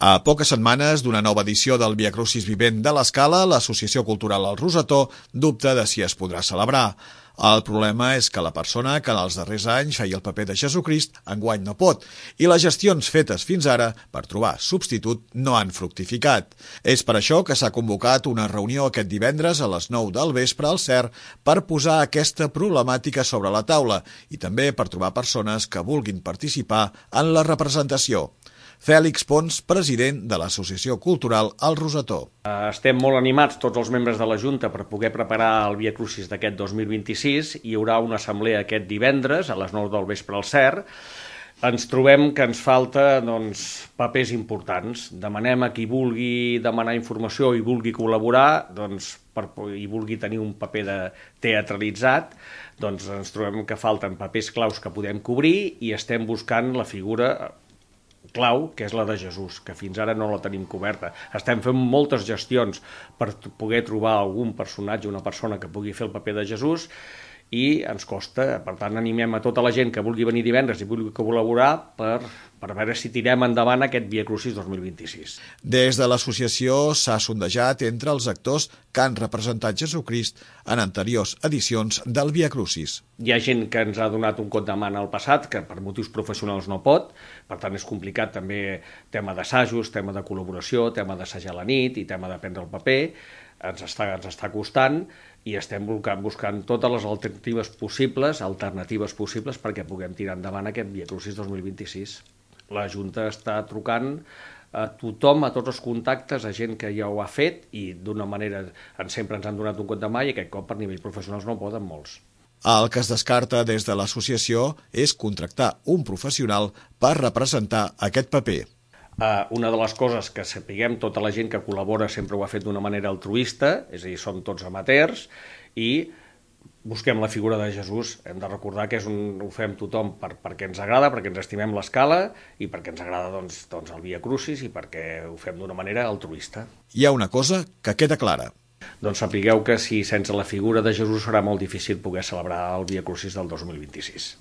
A poques setmanes d'una nova edició del Via Crucis Vivent de l'Escala, l'Associació Cultural El Rosetó dubta de si es podrà celebrar. El problema és que la persona que en els darrers anys feia el paper de Jesucrist enguany no pot, i les gestions fetes fins ara per trobar substitut no han fructificat. És per això que s'ha convocat una reunió aquest divendres a les 9 del vespre al CER per posar aquesta problemàtica sobre la taula i també per trobar persones que vulguin participar en la representació. Fèlix Pons, president de l'Associació Cultural El Rosetó. Estem molt animats, tots els membres de la Junta, per poder preparar el Via Crucis d'aquest 2026. Hi haurà una assemblea aquest divendres a les 9 del vespre al CER. Ens trobem que ens falta papers importants. Demanem a qui vulgui demanar informació i vulgui col·laborar, i vulgui tenir un paper teatralitzat, ens trobem que falten papers claus que podem cobrir i estem buscant la figura clau, que és la de Jesús, que fins ara no la tenim coberta. Estem fent moltes gestions per poder trobar algun personatge, una persona que pugui fer el paper de Jesús, i ens costa. Per tant, animem a tota la gent que vulgui venir divendres i vulgui col·laborar per veure si tirem endavant aquest Via Crucis 2026. Des de l'associació s'ha sondejat entre els actors que han representat Jesucrist en anteriors edicions del Via Crucis. Hi ha gent que ens ha donat un cop de mà al passat, que per motius professionals no pot, per tant és complicat també tema d'assajos, tema de col·laboració, tema d'assajar a la nit i tema de prendre el paper. Ens està costant i estem buscant totes les alternatives possibles perquè puguem tirar endavant aquest Via Crucis 2026. La Junta està trucant a tothom, a tots els contactes, a gent que ja ho ha fet i d'una manera sempre ens han donat un cop de mà i aquest cop per nivell professionals no poden molts. El que es descarta des de l'associació és contractar un professional per representar aquest paper. Una de les coses que sapiguem, tota la gent que col·labora sempre ho ha fet d'una manera altruista, és a dir, som tots amateurs, i busquem la figura de Jesús. Hem de recordar que ho fem tothom perquè ens agrada, perquè ens estimem l'Escala i perquè ens agrada el Via Crucis i perquè ho fem d'una manera altruista. Hi ha una cosa que queda clara. Sapigueu que sense la figura de Jesús serà molt difícil poder celebrar el Via Crucis del 2026.